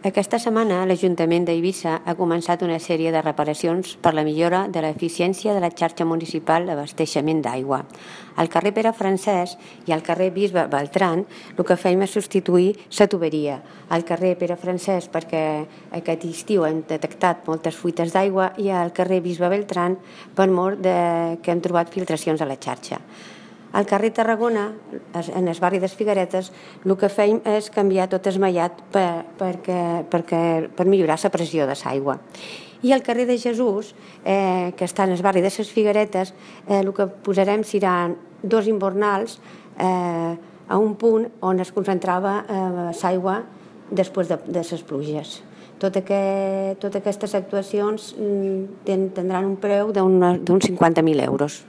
Aquesta setmana l'Ajuntament d'Eivissa ha començat una sèrie de reparacions per la millora de l'eficiència de la xarxa municipal d'abasteixement d'aigua. Al carrer Pere Francesc i al carrer Bisbe Beltran el que fem és substituir la tuberia. Al carrer Pere Francesc perquè aquest estiu hem detectat moltes fuites d'aigua i al carrer Bisbe Beltran per mort que hem trobat filtracions a la xarxa. Al carrer Tarragona, en el barri de les Figueretes, el que fem és canviar tot el mallat per millorar la pressió de l'aigua. I al carrer de Jesús, que està en el barri de les Figueretes, el que posarem seran dos invernals a un punt on es concentrava l'aigua després de les pluges. Totes aquestes actuacions tindran un preu d'uns 50.000 euros.